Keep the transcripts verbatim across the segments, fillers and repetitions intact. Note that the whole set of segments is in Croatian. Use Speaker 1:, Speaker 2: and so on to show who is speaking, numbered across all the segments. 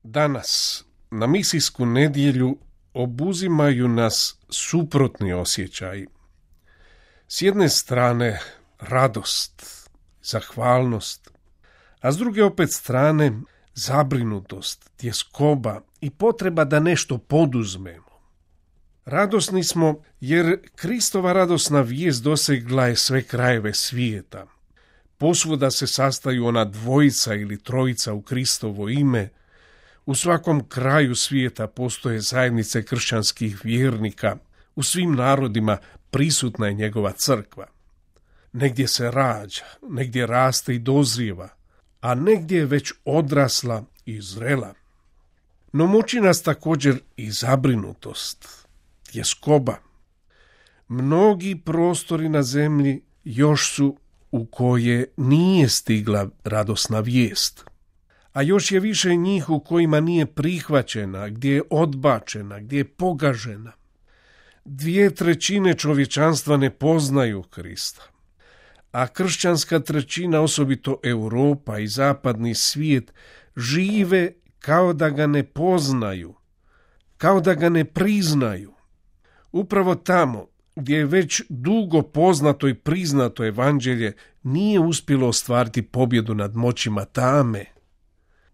Speaker 1: Danas, na misijsku nedjelju, obuzimaju nas suprotni osjećaji. S jedne strane radost, zahvalnost, a s druge opet strane zabrinutost, tjeskoba i potreba da nešto poduzmemo. Radosni smo jer Kristova radosna vijest dosegla je sve krajeve svijeta. Posvuda se sastaju ona dvojica ili trojica u Kristovo ime. U svakom kraju svijeta postoje zajednice kršćanskih vjernika. U svim narodima prisutna je njegova crkva. Negdje se rađa, negdje raste i dozrijeva, a negdje je već odrasla i zrela. No muči nas također i zabrinutost, tjeskoba. Mnogi prostori na zemlji još su u koje nije stigla radosna vijest, a još je više njih u kojima nije prihvaćena, gdje je odbačena, gdje je pogažena. Dvije trećine čovječanstva ne poznaju Krista, a kršćanska trećina, osobito Europa i zapadni svijet, žive kao da ga ne poznaju, kao da ga ne priznaju. Upravo tamo gdje je već dugo poznato i priznato evanđelje, nije uspjelo ostvariti pobjedu nad moćima tame.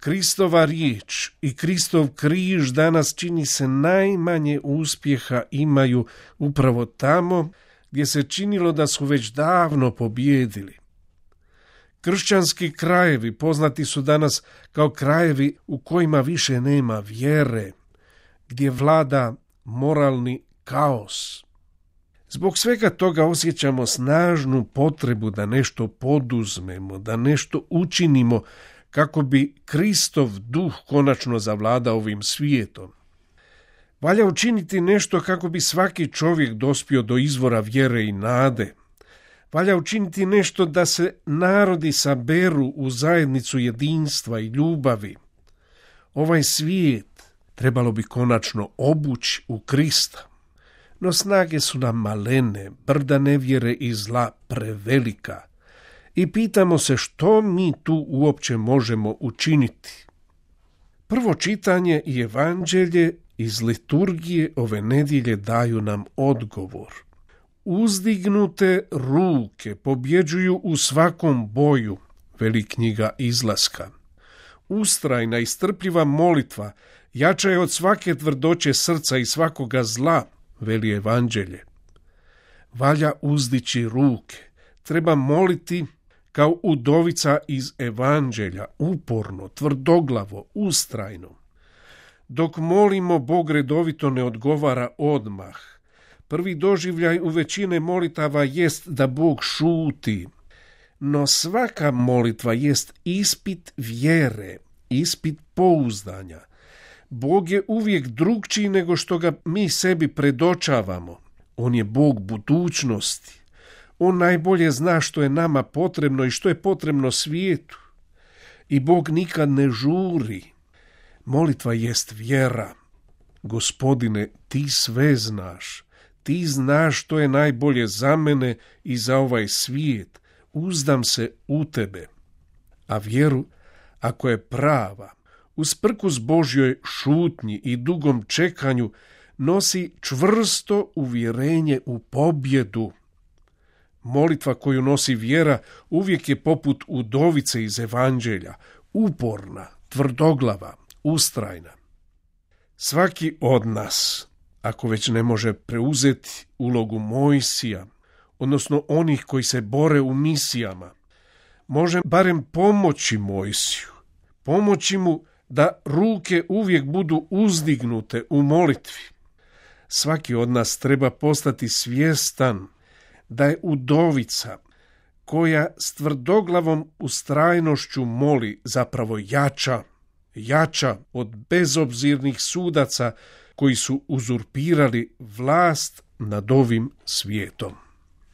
Speaker 1: Kristova riječ i Kristov križ danas čini se najmanje uspjeha imaju upravo tamo gdje se činilo da su već davno pobjedili. Kršćanski krajevi poznati su danas kao krajevi u kojima više nema vjere, gdje vlada moralni kaos. Zbog svega toga osjećamo snažnu potrebu da nešto poduzmemo, da nešto učinimo kako bi Kristov duh konačno zavladao ovim svijetom. Valja učiniti nešto kako bi svaki čovjek dospio do izvora vjere i nade. Valja učiniti nešto da se narodi saberu u zajednicu jedinstva i ljubavi. Ovaj svijet trebalo bi konačno obući u Krista. No snage su nam malene, brda nevjere i zla prevelika. I pitamo se što mi tu uopće možemo učiniti. Prvo čitanje i evanđelje iz liturgije ove nedjelje daju nam odgovor. Uzdignute ruke pobjeđuju u svakom boju, veli knjiga Izlaska. Ustrajna i strpljiva molitva jača je od svake tvrdoće srca i svakoga zla, veli evanđelje. Valja uzdići ruke, treba moliti kao udovica iz evanđelja, uporno, tvrdoglavo, ustrajno. Dok molimo, Bog redovito ne odgovara odmah. Prvi doživljaj u većine molitava jest da Bog šuti, no svaka molitva jest ispit vjere, ispit pouzdanja. Bog je uvijek drugčiji nego što ga mi sebi predočavamo. On je Bog budućnosti. On najbolje zna što je nama potrebno i što je potrebno svijetu. I Bog nikad ne žuri. Molitva jest vjera. Gospodine, ti sve znaš. Ti znaš što je najbolje za mene i za ovaj svijet. Uzdam se u tebe. A vjeru, ako je prava, usprkos Božjoj šutnji i dugom čekanju, nosi čvrsto uvjerenje u pobjedu. Molitva koju nosi vjera uvijek je poput udovice iz evanđelja, uporna, tvrdoglava, ustrajna. Svaki od nas, ako već ne može preuzeti ulogu Mojsija, odnosno onih koji se bore u misijama, može barem pomoći Mojsiju, pomoći mu da ruke uvijek budu uzdignute u molitvi. Svaki od nas treba postati svjestan da je udovica koja s tvrdoglavom ustrajnošću moli zapravo jača, jača od bezobzirnih sudaca koji su uzurpirali vlast nad ovim svijetom.